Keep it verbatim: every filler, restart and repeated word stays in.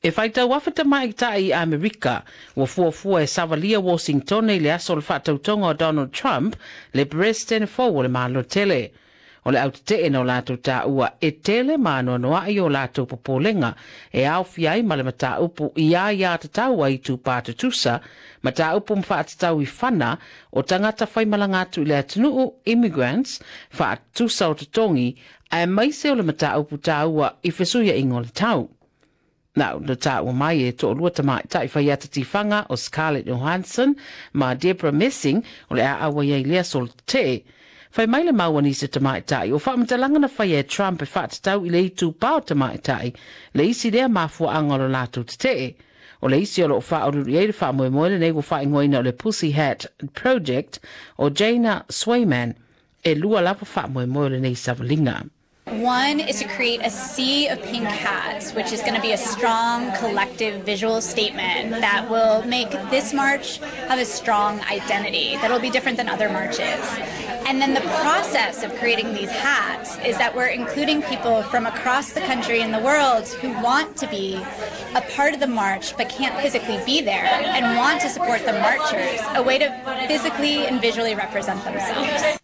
E faitau afe tamaitai Amerika ua fuafua e savalia Washington i le aso o le faatautoga o Donald Trump, le Peresetene fou o le Malo tele. O le autetee na o latou taua e tele ma anoanoai o latou popolega e aofia ai ma le mataupu i aiā tatau a itupa tutusa, mataupu ma faatatau i fana o tagata faimalaga atu i le atunuu, immigrants, faatutusa o totogi, aemaise o le mataupu taua i fesuiaiga o le tau. Na na taua mai e toalua tamaitai faiata tifaga o Scarlett Johansson ma Debra Messing o le a auai ai le aso o le tetee. Fai mai le mau a nisi tamaitai, o faamatalaga na faia e Trump e faatatau i le itupa o tamaitai, le isi lea mafuaaga o lo latou tetee. O le isi o loo faauluulu i ai le faamoemoe lenei ua faaigoaina o le Pussy Hat Project o Jana Swayman. E lua lava faamoemoe o lenei savaliga. One is to create a sea of pink hats, which is going to be a strong collective visual statement that will make this march have a strong identity that will be different than other marches. And then the process of creating these hats is that we're including people from across the country and the world who want to be a part of the march but can't physically be there and want to support the marchers, a way to physically and visually represent themselves.